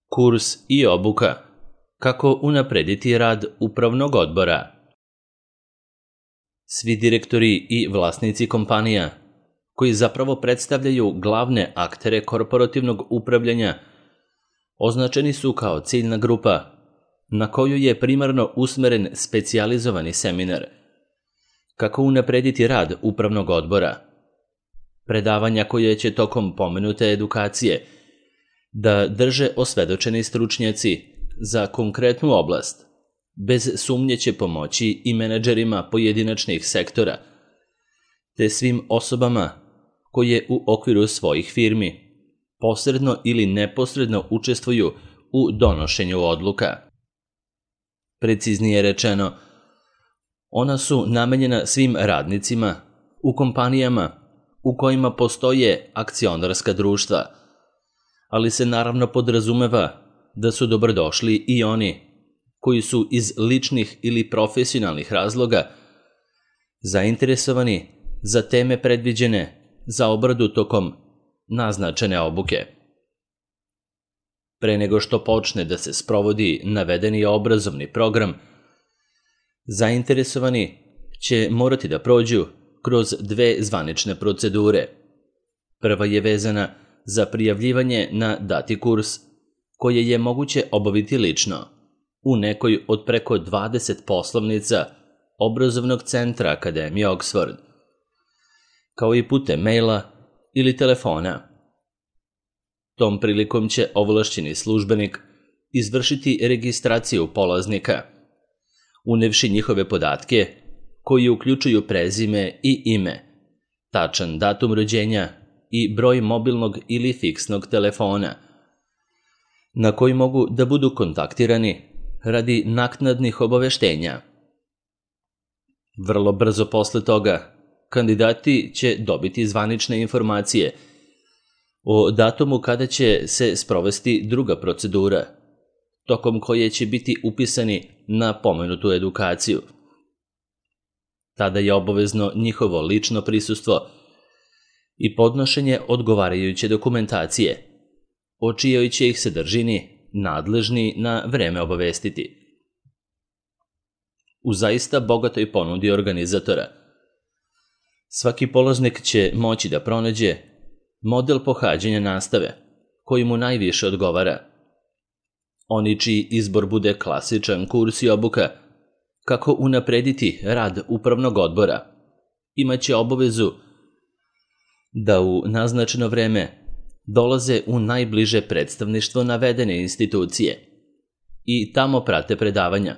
Kurs i obuka. Kako unaprediti rad upravnog odbora. Svi direktori i vlasnici kompanija, koji zapravo predstavljaju glavne aktere korporativnog upravljanja, označeni su kao ciljna grupa na koju je primarno usmeren specijalizovani seminar. Kako unaprediti rad upravnog odbora. Predavanja koje će tokom pomenute edukacije da drže osvedočeni stručnjaci za konkretnu oblast, bez sumnje će pomoći i menadžerima pojedinačnih sektora, te svim osobama koje u okviru svojih firmi posredno ili neposredno učestvuju u donošenju odluka. Preciznije rečeno, ona su namenjena svim radnicima u kompanijama u kojima postoje akcionarska društva, ali se naravno podrazumeva da su dobrodošli i oni koji su iz ličnih ili profesionalnih razloga zainteresovani za teme predviđene za obradu tokom naznačene obuke. Pre nego što počne da se sprovodi navedeni obrazovni program, zainteresovani će morati da prođu kroz 2 zvanične procedure. Prva je vezana za prijavljivanje na dati kurs, koje je moguće obaviti lično u nekoj od preko 20 poslovnica obrazovnog centra Akademije Oxford, kao i putem maila ili telefona. Tom prilikom će ovlašćeni službenik izvršiti registraciju polaznika, unevši njihove podatke koji uključuju prezime i ime, tačan datum rođenja i broj mobilnog ili fiksnog telefona, na koji mogu da budu kontaktirani radi naknadnih obaveštenja. Vrlo brzo posle toga, kandidati će dobiti zvanične informacije o datumu kada će se sprovesti druga procedura, tokom koje će biti upisani na pomenutu edukaciju. Tada je obavezno njihovo lično prisustvo i podnošenje odgovarajuće dokumentacije, o čijoj će ih sadržini nadležni na vreme obavestiti. U zaista bogatoj ponudi organizatora, svaki polaznik će moći da pronađe model pohađanja nastave koji mu najviše odgovara. Oni čiji izbor bude klasičan kurs i obuka kako unaprediti rad upravnog odbora, imaće obavezu da u naznačeno vreme dolaze u najbliže predstavništvo navedene institucije i tamo prate predavanja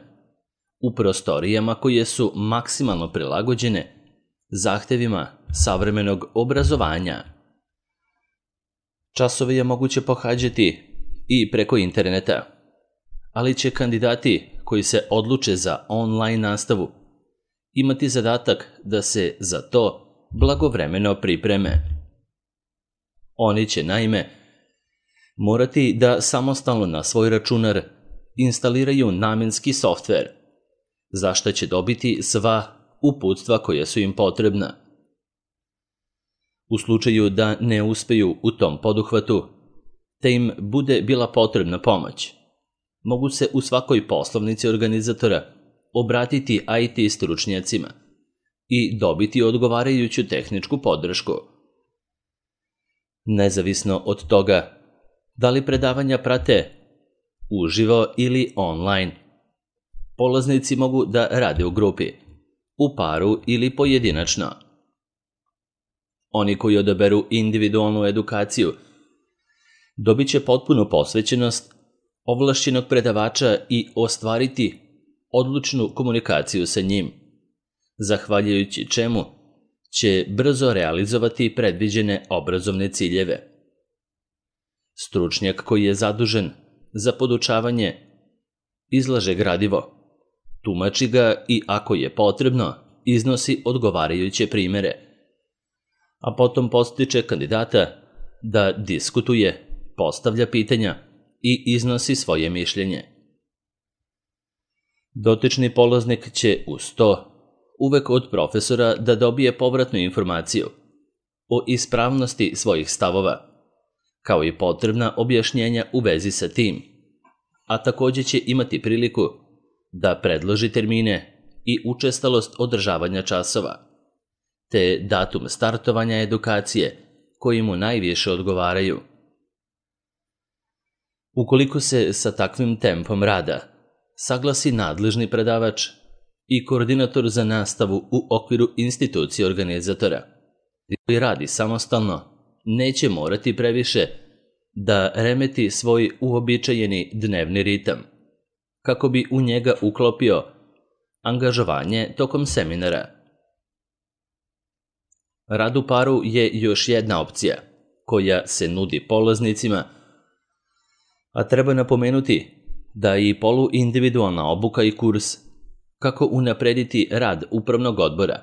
u prostorijama koje su maksimalno prilagođene zahtevima savremenog obrazovanja. Časove je moguće pohađati i preko interneta, ali će kandidati koji se odluče za online nastavu imati zadatak da se za to blagovremeno pripreme. Oni će naime morati da samostalno na svoj računar instaliraju namenski softver, za što će dobiti sva uputstva koja su im potrebna. U slučaju da ne uspeju u tom poduhvatu, te im bude bila potrebna pomoć, mogu se u svakoj poslovnici organizatora obratiti IT stručnjacima i dobiti odgovarajuću tehničku podršku. Nezavisno od toga da li predavanja prate uživo ili online, polaznici mogu da rade u grupi, u paru ili pojedinačno. Oni koji odaberu individualnu edukaciju dobit će potpunu posvećenost ovlašćenog predavača i ostvariti odlučnu komunikaciju sa njim, zahvaljujući čemu će brzo realizovati predviđene obrazovne ciljeve. Stručnjak koji je zadužen za podučavanje izlaže gradivo, tumači ga i ako je potrebno iznosi odgovarajuće primere, a potom podstiče kandidata da diskutuje, postavlja pitanja i iznosi svoje mišljenje. Dotični polaznik će uz to uvek od profesora da dobije povratnu informaciju o ispravnosti svojih stavova, kao i potrebna objašnjenja u vezi sa tim, a također će imati priliku da predloži termine i učestalost održavanja časova, te datum startovanja edukacije koji mu najviše odgovaraju. Ukoliko se sa takvim tempom rada saglasi nadležni predavač i koordinator za nastavu u okviru institucije organizatora, koji radi samostalno, neće morati previše da remeti svoj uobičajeni dnevni ritam, kako bi u njega uklopio angažovanje tokom seminara. Rad u paru je još jedna opcija koja se nudi polaznicima, a treba napomenuti da i poluindividualna obuka i kurs kako unaprediti rad upravnog odbora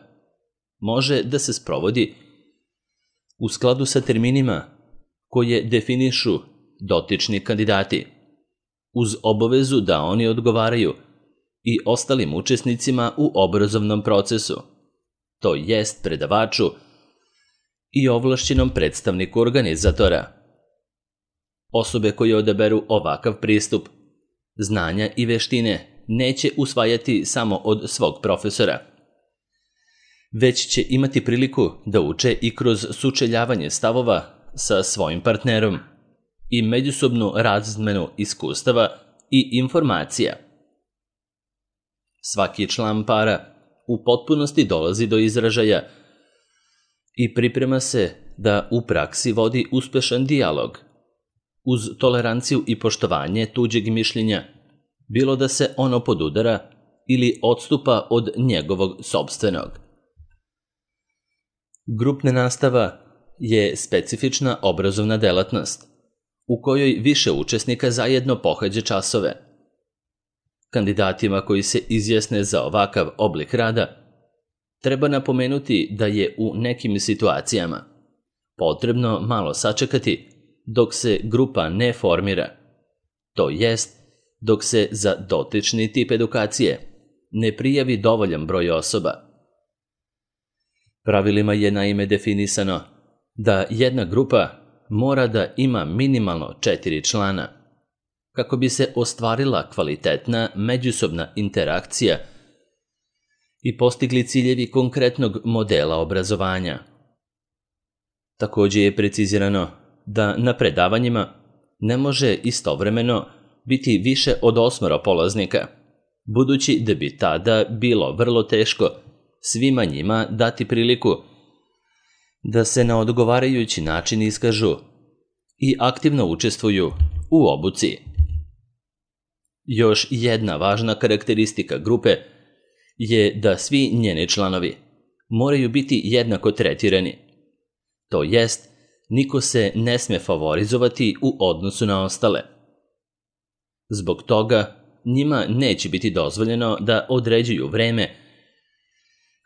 može da se sprovodi u skladu sa terminima koje definišu dotični kandidati, uz obavezu da oni odgovaraju i ostalim učesnicima u obrazovnom procesu, to jest predavaču i ovlašćenom predstavniku organizatora. Osobe koje odaberu ovakav pristup, znanja i veštine neće usvajati samo od svog profesora, već će imati priliku da uče i kroz sučeljavanje stavova sa svojim partnerom i međusobnu razmenu iskustava i informacija. Svaki član para u potpunosti dolazi do izražaja i priprema se da u praksi vodi uspešan dijalog, uz toleranciju i poštovanje tuđeg mišljenja, bilo da se ono podudara ili odstupa od njegovog sopstvenog. Grupna nastava je specifična obrazovna delatnost u kojoj više učesnika zajedno pohađa časove. Kandidatima koji se izjasne za ovakav oblik rada treba napomenuti da je u nekim situacijama potrebno malo sačekati dok se grupa ne formira, to jest dok se za dotični tip edukacije ne prijavi dovoljan broj osoba. Pravilima je naime definisano da jedna grupa mora da ima minimalno 4 člana, kako bi se ostvarila kvalitetna međusobna interakcija i postigli ciljevi konkretnog modela obrazovanja. Također je precizirano da na predavanjima ne može istovremeno biti više od 8 polaznika, budući da bi tada bilo vrlo teško svima njima dati priliku da se na odgovarajući način iskažu i aktivno učestvuju u obuci. Još jedna važna karakteristika grupe je da svi njeni članovi moraju biti jednako tretirani, to jest niko se ne sme favorizovati u odnosu na ostale. Zbog toga njima neće biti dozvoljeno da određuju vreme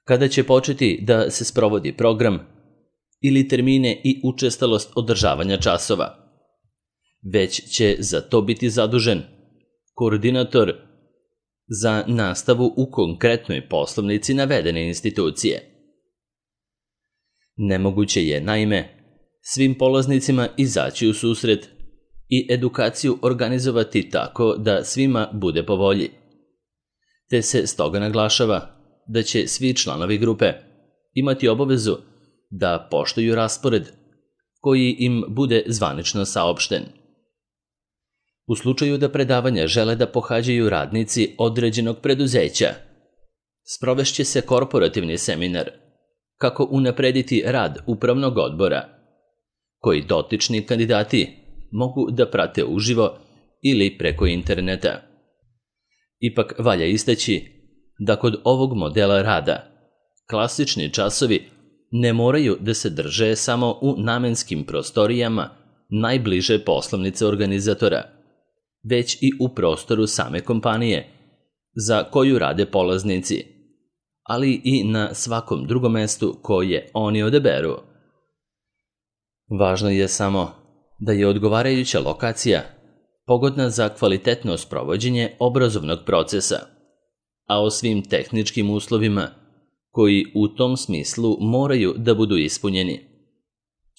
kada će početi da se sprovodi program ili termine i učestalost održavanja časova, već će za to biti zadužen koordinator za nastavu u konkretnoj poslovnici navedene institucije. Nemoguće je, naime, svim polaznicima izaći u susret i edukaciju organizovati tako da svima bude po volji, te se stoga naglašava da će svi članovi grupe imati obavezu da poštuju raspored koji im bude zvanično saopšten. U slučaju da predavanja žele da pohađaju radnici određenog preduzeća, sprovešće se korporativni seminar kako unaprediti rad upravnog odbora, koji dotični kandidati mogu da prate uživo ili preko interneta. Ipak valja istaći da kod ovog modela rada klasični časovi ne moraju da se drže samo u namenskim prostorijama najbliže poslovnice organizatora, već i u prostoru same kompanije za koju rade polaznici, ali i na svakom drugom mestu koje oni odaberu. Važno je samo da je odgovarajuća lokacija pogodna za kvalitetno sprovođenje obrazovnog procesa, a o svim tehničkim uslovima koji u tom smislu moraju da budu ispunjeni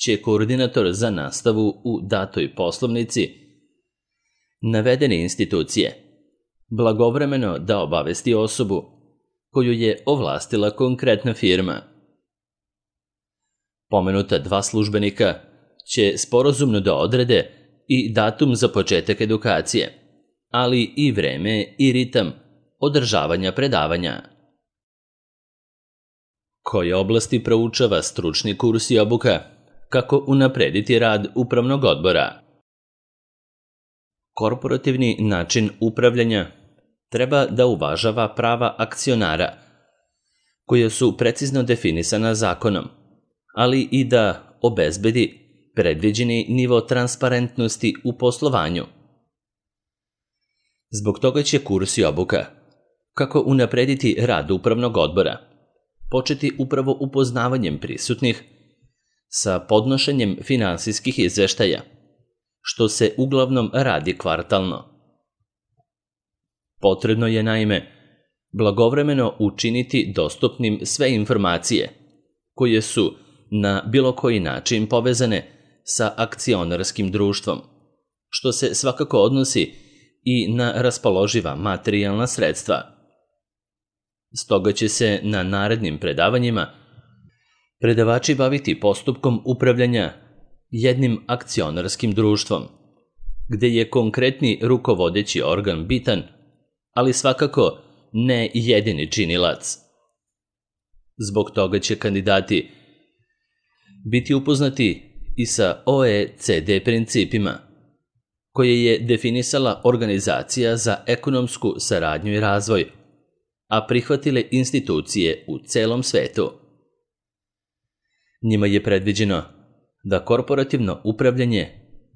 će koordinator za nastavu u datoj poslovnici navedene institucije blagovremeno da obavesti osobu koju je ovlastila konkretna firma. Pomenuta 2 službenika će sporazumno da odrede i datum za početak edukacije, ali i vreme i ritam održavanja predavanja. Koje oblasti proučava stručni kurs i obuka? Kako unaprediti rad upravnog odbora? Korporativni način upravljanja treba da uvažava prava akcionara, koja su precizno definisana zakonom, ali i da obezbedi predviđeni nivo transparentnosti u poslovanju. Zbog toga će kurs i obuka kako unaprediti rad upravnog odbora početi upravo upoznavanjem prisutnih sa podnošenjem finansijskih izveštaja, što se uglavnom radi kvartalno. Potrebno je naime blagovremeno učiniti dostupnim sve informacije koje su na bilo koji način povezane sa akcionarskim društvom, što se svakako odnosi i na raspoloživa materijalna sredstva. Stoga će se na narednim predavanjima predavači baviti postupkom upravljanja jednim akcionarskim društvom, gde je konkretni rukovodeći organ bitan, ali svakako ne jedini činilac. Zbog toga će kandidati biti upoznati i sa OECD principima, koje je definisala Organizacija za ekonomsku saradnju i razvoj, a prihvatile institucije u celom svetu. Njima je predviđeno da korporativno upravljanje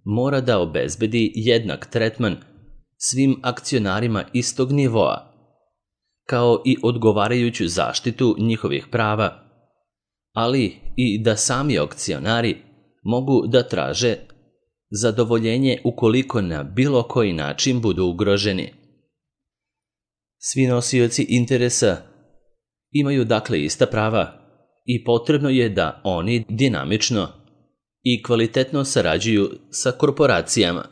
mora da obezbedi jednak tretman svim akcionarima istog nivoa, kao i odgovarajuću zaštitu njihovih prava, ali i da sami akcionari mogu da traže zadovoljenje ukoliko na bilo koji način budu ugroženi. Svi nosioci interesa imaju dakle ista prava i potrebno je da oni dinamično i kvalitetno sarađuju sa korporacijama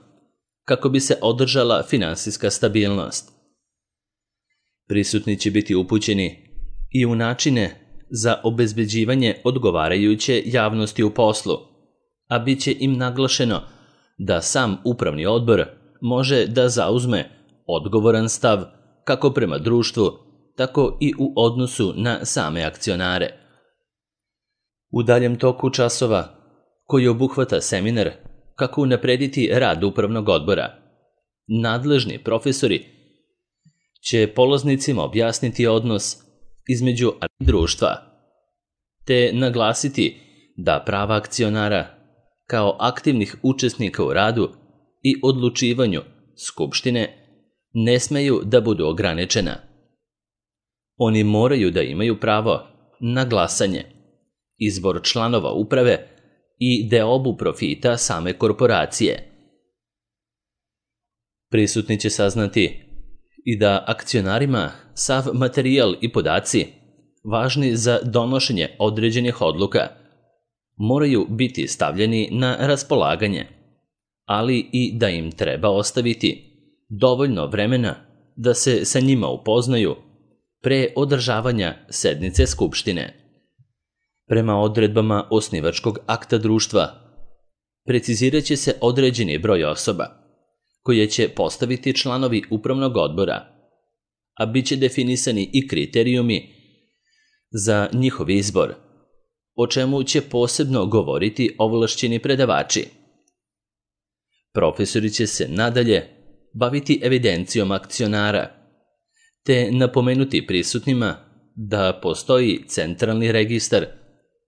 kako bi se održala finansijska stabilnost. Prisutni će biti upućeni i u načine za obezbeđivanje odgovarajuće javnosti u poslu, a bit će im naglašeno da sam upravni odbor može da zauzme odgovoran stav kako prema društvu, tako i u odnosu na same akcionare. U daljem toku časova, koji obuhvata seminar kako unaprediti rad upravnog odbora, nadležni profesori će polaznicima objasniti odnos između društva, te naglasiti da prava akcionara kao aktivnih učesnika u radu i odlučivanju skupštine ne smeju da budu ograničena. Oni moraju da imaju pravo na glasanje, izbor članova uprave i deobu profita same korporacije. Prisutni će saznati i da akcionarima sav materijal i podaci važni za donošenje određenih odluka moraju biti stavljeni na raspolaganje, ali i da im treba ostaviti dovoljno vremena da se sa njima upoznaju pre održavanja sednice skupštine. Prema odredbama osnivačkog akta društva, precizirat će se određeni broj osoba koje će postaviti članovi upravnog odbora, a bit će definisani i kriterijumi za njihov izbor, o čemu će posebno govoriti ovlašćeni predavači. Profesori će se nadalje baviti evidencijom akcionara, te napomenuti prisutnima da postoji centralni registar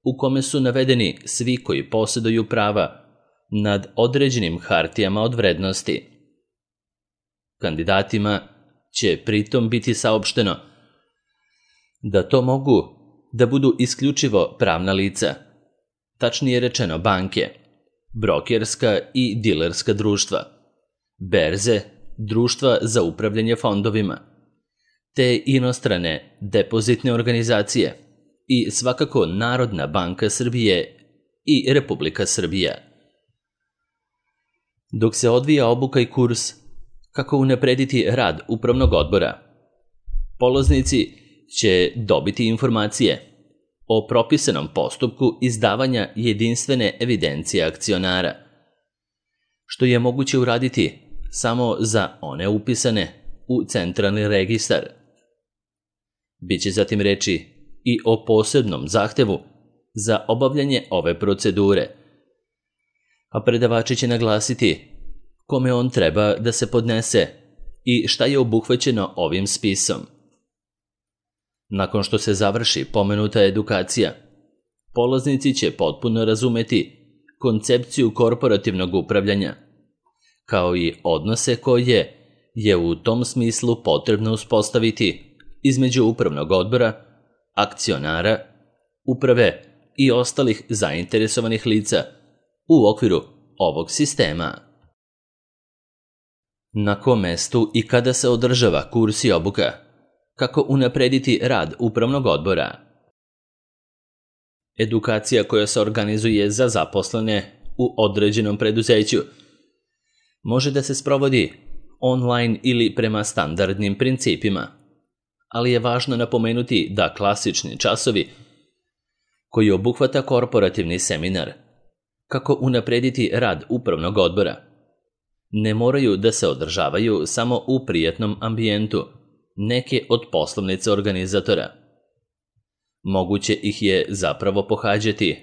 u kome su navedeni svi koji posjeduju prava nad određenim hartijama od vrednosti. Kandidatima će pritom biti saopšteno da to mogu da budu isključivo pravna lica, tačnije rečeno banke, brokerska i dilerska društva, berze, društva za upravljanje fondovima, te inostrane depozitne organizacije i svakako Narodna banka Srbije i Republika Srbija. Dok se odvija obuka i kurs, Kako unaprediti rad upravnog odbora? Polaznici će dobiti informacije o propisanom postupku izdavanja jedinstvene evidencije akcionara, što je moguće uraditi samo za one upisane u centralni registar. Biće zatim reči i o posebnom zahtevu za obavljanje ove procedure, a predavači će naglasiti kome on treba da se podnese i šta je obuhvaćeno ovim spisom. Nakon što se završi pomenuta edukacija, polaznici će potpuno razumeti koncepciju korporativnog upravljanja, kao i odnose koje je u tom smislu potrebno uspostaviti između upravnog odbora, akcionara, uprave i ostalih zainteresovanih lica u okviru ovog sistema. Na kom mestu i kada se održava kurs i obuka? Kako unaprediti rad upravnog odbora? Edukacija koja se organizuje za zaposlene u određenom preduzeću može da se sprovodi online ili prema standardnim principima, ali je važno napomenuti da klasični časovi koji obuhvata korporativni seminar kako unaprediti rad upravnog odbora ne moraju da se održavaju samo u prijatnom ambijentu neke od poslovnica organizatora. Moguće ih je zapravo pohađati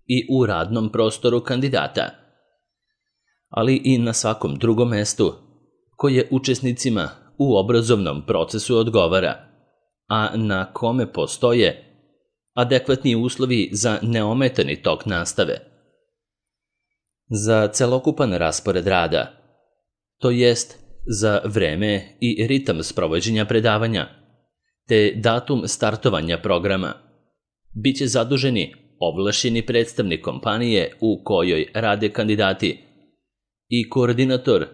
i u radnom prostoru kandidata, ali i na svakom drugom mestu koje učesnicima u obrazovnom procesu odgovara, a na kome postoje adekvatni uslovi za neometani tok nastave. Za celokupan raspored rada, to jest za vreme i ritam sprovođenja predavanja, te datum startovanja programa, bit će zaduženi ovlašćeni predstavnik kompanije u kojoj rade kandidati i koordinator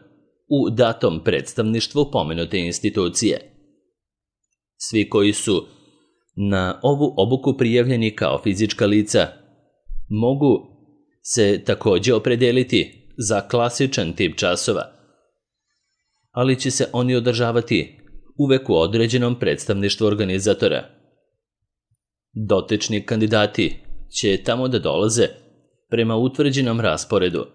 u datom predstavništvu pomenute institucije. Svi koji su na ovu obuku prijavljeni kao fizička lica mogu se također opredeliti za klasičan tip časova, ali će se oni održavati uvek u određenom predstavništvu organizatora. Dotični kandidati će tamo da dolaze prema utvrđenom rasporedu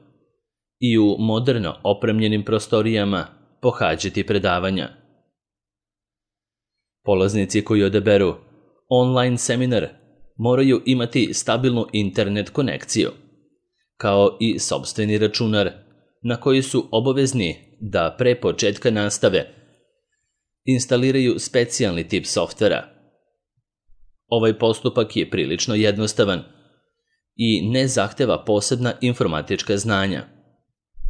i u moderno opremljenim prostorijama pohađati predavanja. Polaznici koji odaberu online seminar moraju imati stabilnu internet konekciju, kao i sopstveni računar na koji su obavezni da pre početka nastave instaliraju specijalni tip softvera. Ovaj postupak je prilično jednostavan i ne zahteva posebna informatička znanja,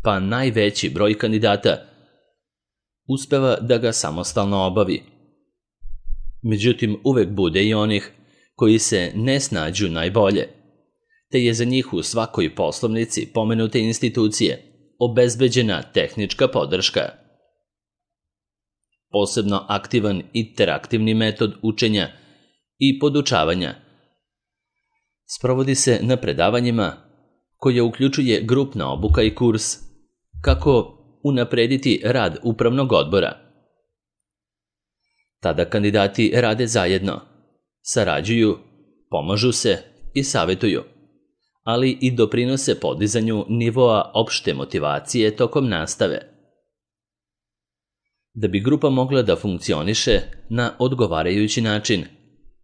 pa najveći broj kandidata uspeva da ga samostalno obavi. Međutim, uvek bude i onih koji se ne snađu najbolje, te je za njih u svakoj poslovnici pomenute institucije obezbeđena tehnička podrška. Posebno aktivan interaktivni metod učenja i podučavanja sprovodi se na predavanjima koje uključuje grupna obuka i kurs kako unaprediti rad upravnog odbora. Tada kandidati rade zajedno, sarađuju, pomažu se i savjetuju, ali i doprinose podizanju nivoa opšte motivacije tokom nastave. Da bi grupa mogla da funkcioniše na odgovarajući način,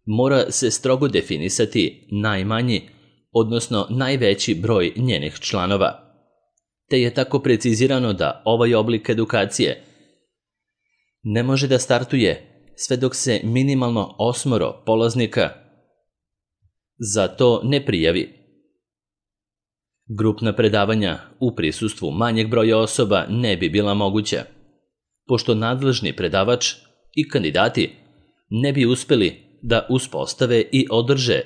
mora se strogo definisati najmanji, odnosno najveći broj njenih članova, te je tako precizirano da ovaj oblik edukacije ne može da startuje sve dok se minimalno 8 polaznika za to ne prijavi. Grupna predavanja u prisustvu manjeg broja osoba ne bi bila moguća, pošto nadležni predavač i kandidati ne bi uspeli da uspostave i održe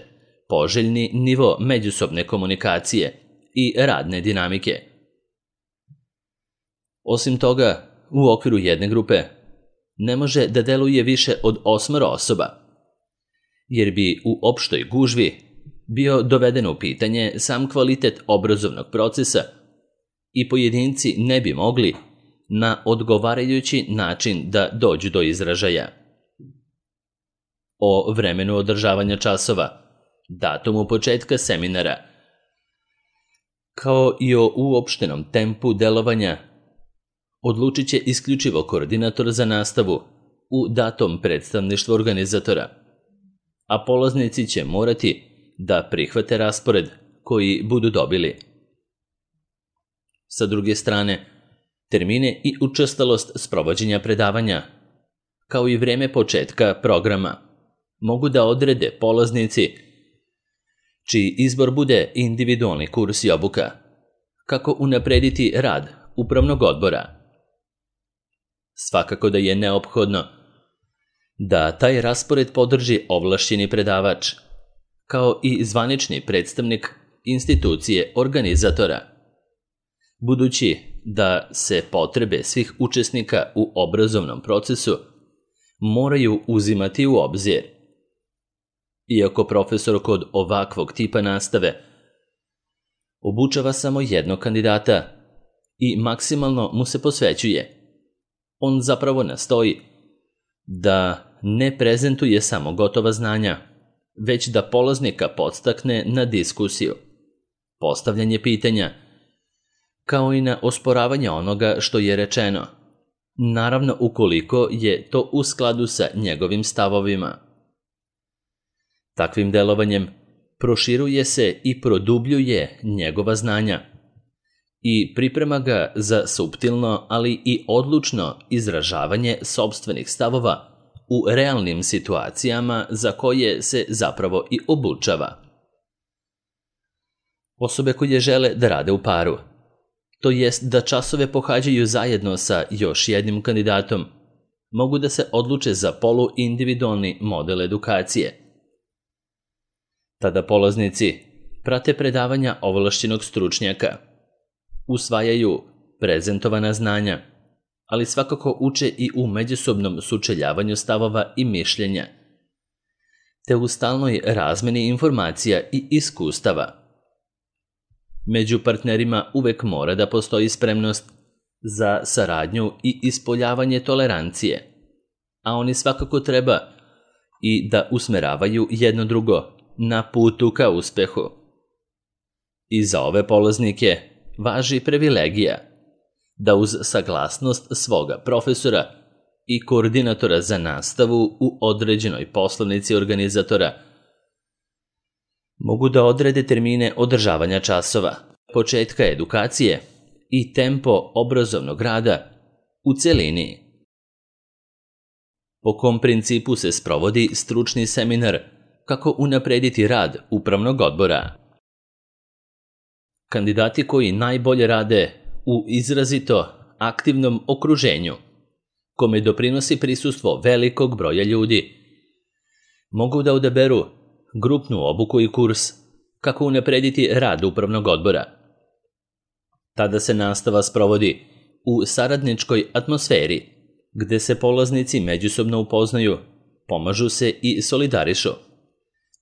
poželjni nivo međusobne komunikacije i radne dinamike. Osim toga, u okviru jedne grupe ne može da deluje više od 8 osoba, jer bi u opštoj gužvi bio doveden u pitanje sam kvalitet obrazovnog procesa i pojedinci ne bi mogli na odgovarajući način da dođu do izražaja. O vremenu održavanja časova, datumu početka seminara, kao i o uopštenom tempu delovanja odlučit će isključivo koordinator za nastavu u datom predstavništvu organizatora, a polaznici će morati da prihvate raspored koji budu dobili. Sa druge strane, termine i učestalost sprovođenja predavanja, kao i vreme početka programa, mogu da odrede polaznici čiji izbor bude individualni kurs i obuka, kako unaprediti rad upravnog odbora. Svakako da je neophodno da taj raspored podrži ovlašćeni predavač, kao i zvanični predstavnik institucije organizatora, budući da se potrebe svih učesnika u obrazovnom procesu moraju uzimati u obzir. Iako profesor kod ovakvog tipa nastave obučava samo jednog kandidata i maksimalno mu se posvećuje, on zapravo nastoji da ne prezentuje samo gotova znanja, već da polaznika podstakne na diskusiju, postavljanje pitanja, kao i na osporavanje onoga što je rečeno, naravno ukoliko je to u skladu sa njegovim stavovima. Takvim delovanjem proširuje se i produbljuje njegova znanja i priprema ga za suptilno, ali i odlučno izražavanje sopstvenih stavova u realnim situacijama za koje se zapravo i obučava. Osobe koje žele da rade u paru, to jest da časove pohađaju zajedno sa još jednim kandidatom, mogu da se odluče za poluindividualni model edukacije. Tada polaznici prate predavanja ovlašćenog stručnjaka, usvajaju prezentovana znanja, ali svakako uče i u međusobnom sučeljavanju stavova i mišljenja, te u stalnoj razmeni informacija i iskustava. Među partnerima uvek mora da postoji spremnost za saradnju i ispoljavanje tolerancije, a oni svakako treba i da usmeravaju jedno drugo na putu ka uspehu. I za ove polaznike važi privilegija da uz saglasnost svoga profesora i koordinatora za nastavu u određenoj poslovnici organizatora mogu da odrede termine održavanja časova, početka edukacije i tempo obrazovnog rada u celini. Po kom principu se sprovodi stručni seminar kako unaprediti rad upravnog odbora? Kandidati koji najbolje rade u izrazito aktivnom okruženju, kome doprinosi prisustvo velikog broja ljudi, mogu da odaberu grupnu obuku i kurs kako unaprediti rad upravnog odbora. Tada se nastava sprovodi u saradničkoj atmosferi, gde se polaznici međusobno upoznaju, pomažu se i solidarišu,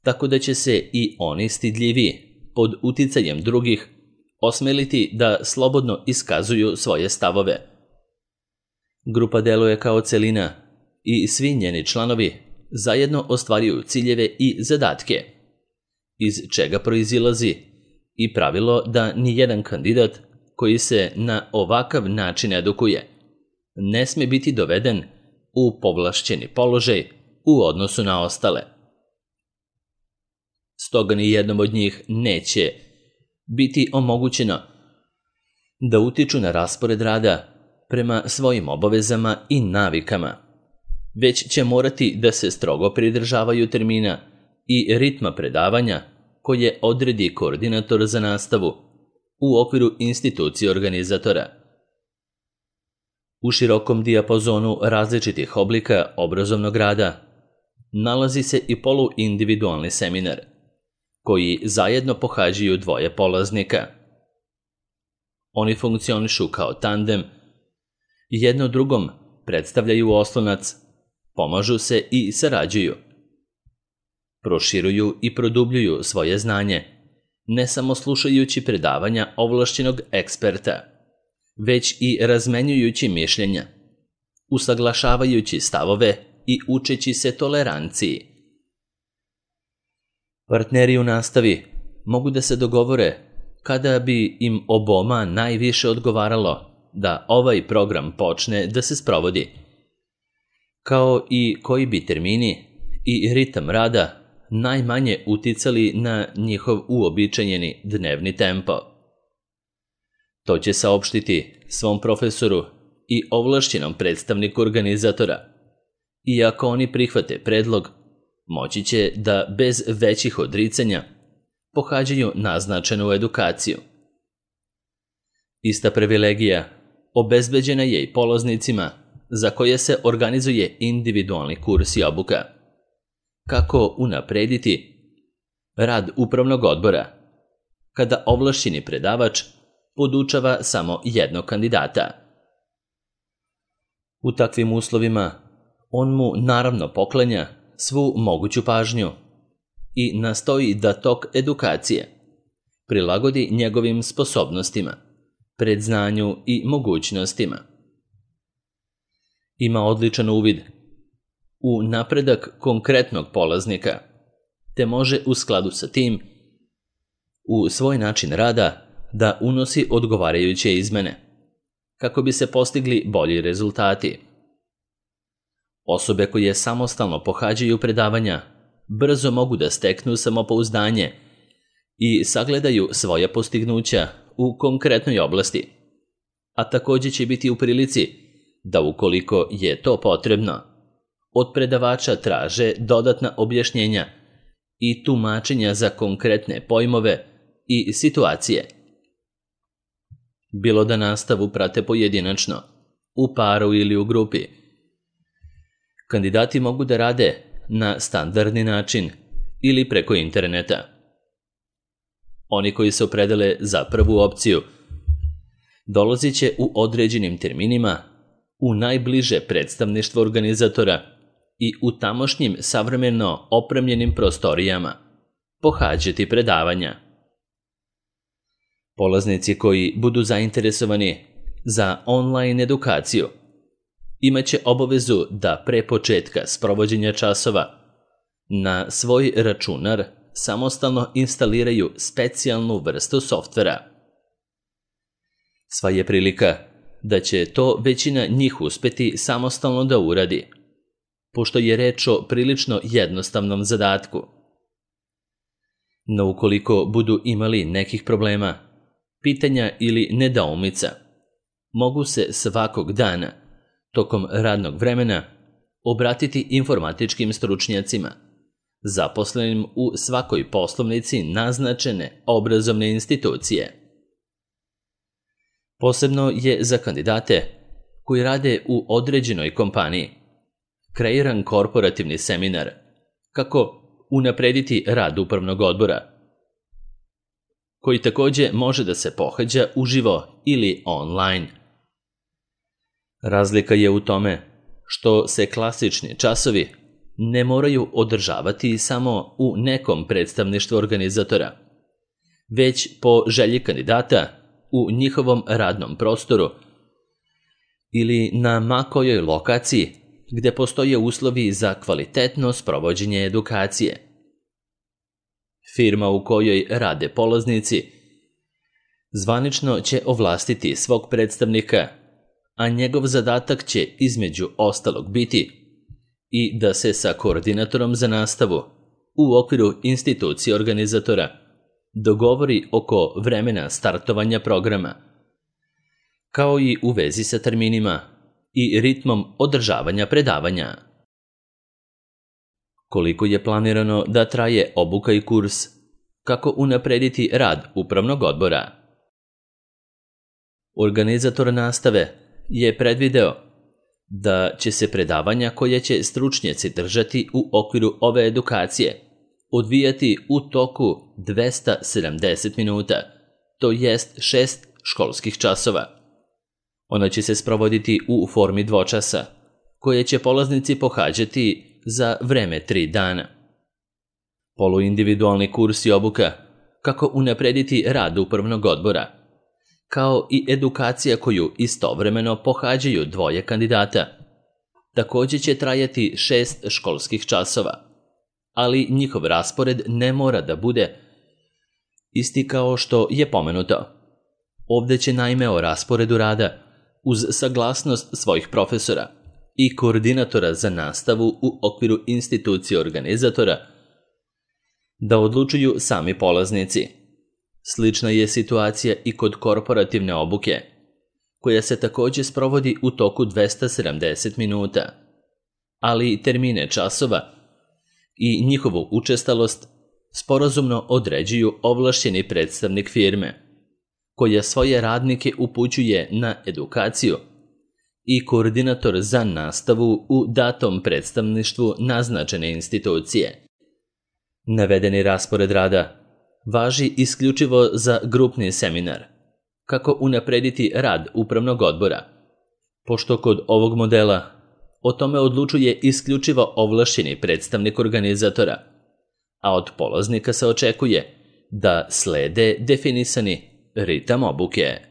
tako da će se i oni stidljivi pod uticajem drugih osmeliti da slobodno iskazuju svoje stavove. Grupa deluje kao celina i svi njeni članovi zajedno ostvaruju ciljeve i zadatke, iz čega proizilazi i pravilo da nijedan kandidat koji se na ovakav način edukuje ne sme biti doveden u povlašćeni položaj u odnosu na ostale. Stoga ni jednom od njih neće biti omogućeno da utiču na raspored rada prema svojim obavezama i navikama, već će morati da se strogo pridržavaju termina i ritma predavanja koje odredi koordinator za nastavu u okviru institucije organizatora. U širokom dijapazonu različitih oblika obrazovnog rada nalazi se i poluindividualni seminar, koji zajedno pohađaju dvoje polaznika. Oni funkcionišu kao tandem, jedno drugom predstavljaju oslonac, pomažu se i sarađuju. Proširuju i produbljuju svoje znanje, ne samo slušajući predavanja ovlašćenog eksperta, već i razmenjujući mišljenja, usaglašavajući stavove i učeći se toleranciji. Partneri u nastavi mogu da se dogovore kada bi im oboma najviše odgovaralo da ovaj program počne da se sprovodi, kao i koji bi termini i ritam rada najmanje uticali na njihov uobičajeni dnevni tempo. To će saopštiti svom profesoru i ovlašćenom predstavniku organizatora, i ako oni prihvate predlog, moći će da bez većih odricanja pohađaju naznačenu edukaciju. Ista privilegija obezbeđena je i polaznicima za koje se organizuje individualni kurs i obuka. Kako unaprediti rad upravnog odbora kada ovlašćeni predavač podučava samo jednog kandidata. U takvim uslovima on mu naravno poklanja svu moguću pažnju i nastoji da tok edukacije prilagodi njegovim sposobnostima, predznanju i mogućnostima. Ima odličan uvid u napredak konkretnog polaznika, te može u skladu sa tim u svoj način rada da unosi odgovarajuće izmene, kako bi se postigli bolji rezultati. Osobe koje samostalno pohađaju predavanja brzo mogu da steknu samopouzdanje i sagledaju svoja postignuća u konkretnoj oblasti, a također će biti u prilici da, ukoliko je to potrebno, od predavača traže dodatna objašnjenja i tumačenja za konkretne pojmove i situacije. Bilo da nastavu prate pojedinačno, u paru ili u grupi. Kandidati mogu da rade na standardni način ili preko interneta. Oni koji se opredele za prvu opciju dolazit će u određenim terminima u najbliže predstavništvo organizatora i u tamošnjim savremeno opremljenim prostorijama pohađati predavanja. Polaznici koji budu zainteresovani za online edukaciju imaće obavezu da pre početka sprovođenja časova na svoj računar samostalno instaliraju specijalnu vrstu softvera. Sva je prilika da će to većina njih uspeti samostalno da uradi, pošto je reč o prilično jednostavnom zadatku. No ukoliko budu imali nekih problema, pitanja ili nedoumica, mogu se svakog dana, tokom radnog vremena, obratiti informatičkim stručnjacima, zaposlenim u svakoj poslovnici naznačene obrazovne institucije. Posebno je za kandidate koji rade u određenoj kompaniji kreiran korporativni seminar kako unaprediti rad upravnog odbora, koji također može da se pohađa uživo ili online. Razlika je u tome što se klasični časovi ne moraju održavati samo u nekom predstavništvu organizatora, već po želji kandidata u njihovom radnom prostoru ili na ma kojoj lokaciji gde postoje uslovi za kvalitetno sprovođenje edukacije. Firma u kojoj rade polaznici zvanično će ovlastiti svog predstavnika, a njegov zadatak će između ostalog biti i da se sa koordinatorom za nastavu u okviru institucije organizatora dogovori oko vremena startovanja programa, kao i u vezi sa terminima i ritmom održavanja predavanja. Koliko je planirano da traje obuka i kurs, kako unaprediti rad upravnog odbora? Organizator nastave je predvideo da će se predavanja koje će stručnjaci držati u okviru ove edukacije odvijati u toku 270 minuta, to jest 6 školskih časova. Ona će se sprovoditi u formi dvočasa, koje će polaznici pohađati za vreme 3 dana. Poluindividualni kurs i obuka kako unaprediti rad upravnog odbora kao i edukacija koju istovremeno pohađaju dvoje kandidata. Također će trajati 6 školskih časova, ali njihov raspored ne mora da bude isti kao što je pomenuto. Ovdje će naime o rasporedu rada, uz saglasnost svojih profesora i koordinatora za nastavu u okviru institucije organizatora, da odlučuju sami polaznici. Slična je situacija i kod korporativne obuke, koja se također sprovodi u toku 270 minuta, ali termine časova i njihovu učestalost sporazumno određuju ovlašćeni predstavnik firme, koja svoje radnike upućuje na edukaciju, i koordinator za nastavu u datom predstavništvu naznačene institucije. Navedeni raspored rada važi isključivo za grupni seminar, kako unaprediti rad upravnog odbora, pošto kod ovog modela o tome odlučuje isključivo ovlašćeni predstavnik organizatora, a od polaznika se očekuje da slede definisani ritam obuke.